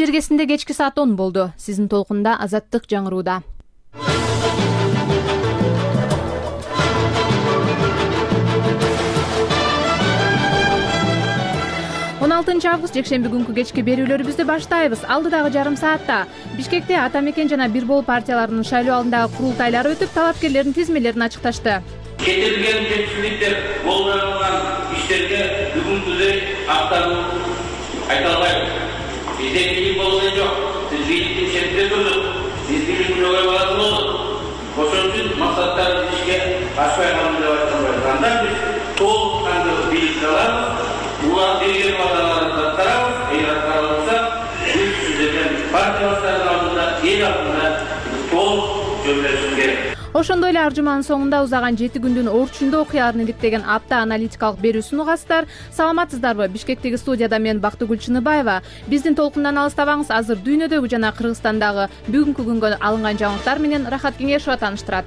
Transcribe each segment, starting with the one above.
жергесинде кечки саат 10 болду. Сиздин толкунда Азаттык жаңырууда. 16 август жекшемби күнкү кечки берүүлөрүбүздү баштайбыз. Алдыдагы жарым саатта Бишкекте Ата Мекен жана Бир Бол партияларынын шайлоо алдындагы курултайлары өтүп, талапкерлердин тизмелерин ачыкташты. Кетирилген жетишсиздиктер болгон иштерге бүгүнкүдөй актануу айта албайбыз. Бизде бийлик болгон жок. Биз бийликтин четинде турдук. Биз бийликтин жогору баласы болдук. Ошон үчүн максаттарыбыз ишке ашпай калды деп айтканбыз. Анда биз толук кандуу бийликти алабыз. Улар берген вадаларын аткарабыз. Эгер аткара алса, биз сиздерден партия баштарынын алдында, эл алдында толук жөнөтүшүбүз керек. Ошондой эле ар жуманын соңунда узаган 7 күндүн орчундуу окуяларын иликтеген апта аналитикалык берүүсүн угасыздар. Саламатсыздарбы? Бишкектеги студияда мен Бактыгүл Чыныбаева. Биздин толкундан алыстабаңыз. Азыр дүйнөдөгү жана Кыргызстандагы бүгүнкү күнгө алынган жаңылыктар менен Рахат Кеңешова тааныштырат.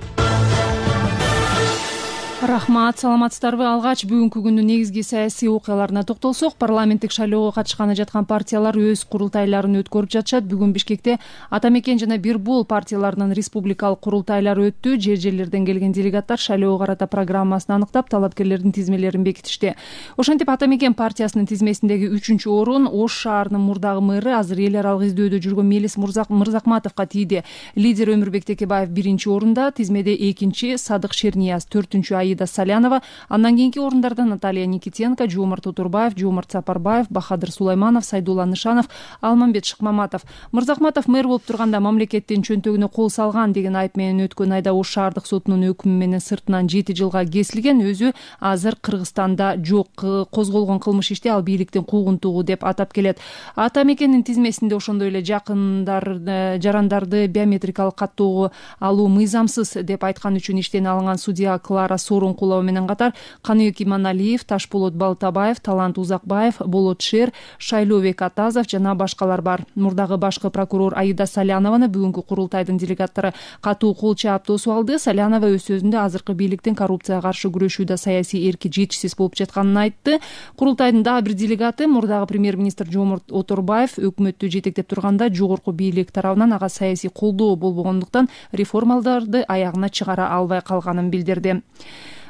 Рахмат, саламатсыздарбы? Алгач бүгүнкү күндүн негизги саясий окуяларына токтолсок, парламенттик шайлоого катышканы жаткан партиялар өз курултайларын өткөрүп жатышат. Бүгүн Бишкекте Ата Мекен жана Бир Бол партияларынын республикалык курултайлары өттү. Жер-жерлерден келген делегаттар шайлоого карата программасын аныктап, талапкерлердин тизмелерин бекитишти. Ошентип Ата Мекен партиясынын тизмесиндеги 3-орун Ош шаарынын мурдагы мэрі, азыр эл аралык издөөдө жүргөн Мелис Мырзакматовго тийди. Лидер Өмүрбек Текебаев 1-орунда, тизмеде 2-чи Садык Шернияз, 4-Аида Салянова, андан кийинки орундарда Наталья Никитенко, Жомарт Отурбаев, Жомарт Сапарбаев, Бахадыр Сулайманов, Сайдулла Нышанов, Алмамбет Шыкмаматов. Мырзакматов мэр болуп турганда мамлекеттин чөнтөгүнө кол салган деген айып менен өткөн айда Ош шаардык сотунун өкүмү менен сыртынан 7 жылга кесилген. Өзү азыр Кыргызстанда жок. Козголгон кылмыш ишти ал бийликтин куугунтугу деп атап келет. Ата Мекендин тизмесинде ошондой эле жарандарды биометрикалык каттоого алуу мыйзамсыз деп айткан үчүн иштен алынган судья Клара Сооронкулова менен катар Каныбек Иманалиев, Ташболот Балтабаев, Талант Узакбаев, Болот Шер, Шайлообек Атазов жана башкалар бар. Мурдагы башкы прокурор Аида Салянованы бүгүнкү курултайдын делегаттары катуу кол чаап тосуп алды. Салянова өз сөзүндө азыркы бийликтин коррупцияга каршы күрөшүүдө саясий эрки жетишсиз болуп жатканын айтты. Курултайдын дагы бир делегаты мурдагы премьер-министр Жомарт Отурбаев өкмөттү жетектеп турганда жогорку бийлик тарабынан ага саясий колдоо болбогондуктан реформаларды аягына чыгара албай калганын билдирди.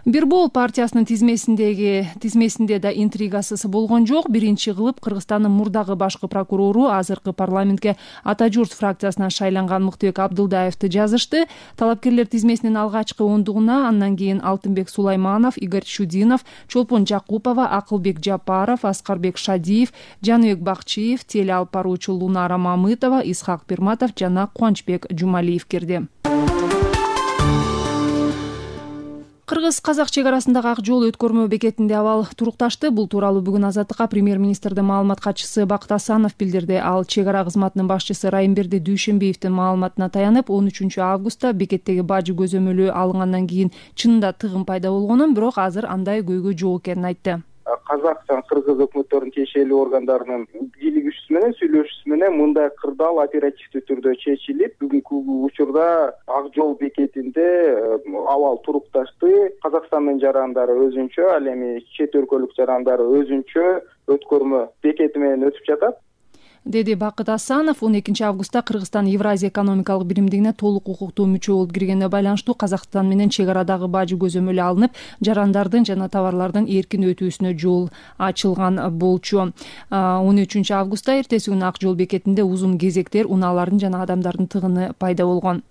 Бир Бол партиясынын тизмесинде да интригасыз болгон жок. Биринчи кылып Кыргызстандын мурдагы башкы прокурору, азыркы парламентке Ата Журт фракциясынан шайланган Мыктыбек Абдылдаевди жазышты. Талапкерлер тизмесинин алгачкы ондугуна андан кийин Алтынбек Сулайманов, Игорь Чудинов, Чолпон Жакупова, Акылбек Жапаров, Аскарбек Шадиев, Жаныбек Бакчиев, теле алып баруучу Лунара Мамытова, Исхак Пирматов жана Кубанычбек Жумалиев кирди. Кыргыз-казак чек арасындагы ак жол өткөрмө бекетинде абал турукташты. Бул тууралуу бүгүн Азаттыкка премьер-министрдин маалымат катчысы Бакыт Асанов билдирди. Ал чек ара кызматынын башчысы Райымберди Дүйшөнбиевдин маалыматына таянып, 13 августта бекеттеги бажы көзөмөлү алынгандан кийин чынында тыгын пайда болгонун, бирок азыр андай көйгөй жок экенин айтты. Казак жана Кыргыз өкмөттөрүнүн тиешелүү органдарынын бийлигүүчүсү менен сүйлөшүүсү менен мындай кырдаал оперативдүү түрдө чечилип, бүгүнкү учурда ак жол бекетинде абал турукташты. Казакстандын жарандары өзүнчө, ал эми чет өлкөлүк жарандары өзүнчө өткөрмө бекети менен өтүп жатат, деди Бакыт Асанов. 12 августта Кыргызстан Евразия экономикалык биримдигине толук укуктуу мүчө болуп киргенине байланыштуу Казакстан менен чек арадагы бажы көзөмөлү алынып, жарандардын жана товарлардын эркин өтүүсүнө жол ачылган болчу. 13 августта эртеси күнү ак жол бекетинде узун кезектер, унаалардын жана адамдардын тыгыны пайда болгон.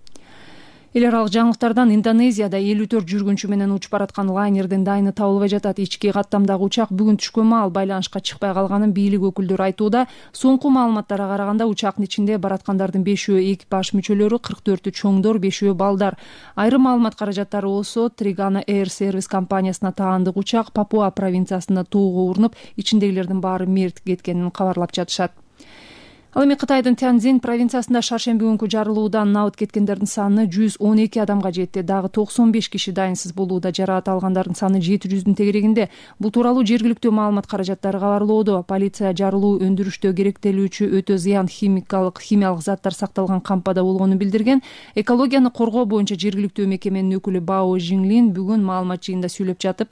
Эл аралык жаңылыктардан Индонезияда 54 жүргүнчү менен учуп бараткан лайнердин дайыны табылбай жатат. Ички каттамдагы учак бүгүн түшкөн маал байланышка чыкпай калганын бийлик өкүлдөрү айтууда. Соңку маалыматтарга караганда учактын ичинде бараткандардын 5-өө экипаж мүчөлөрү, 44-ü чоңдор, 5-өө балдар. Айрым маалымат каражаттары болсо Тригана Air Service компаниясына таандык учак Папуа провинциясында тоого урунуп, ичиндегилердин баары мерт кеткенин кабарлап жатышат. Ал эми Кытайдын Тяньцзин провинциясында шаршемби күнкү жарылуудан набыт кеткендердин саны 112 адамга жетти. Дагы 95 киши дайынсыз болууда. Жараат алгандардын саны 700-дүн тегерегинде. Бул тууралуу жергиликтүү маалымат каражаттары кабарлоодо. Полиция жарылуу өндүрүштө керектелүүчү өтө зыян химиялык заттар сакталган кампада болгонун билдирген. Экологияны коргоо боюнча жергиликтүү мекеменин өкүлү Бао Жинлин бүгүн маалымат жыйынында сүйлөп жатып,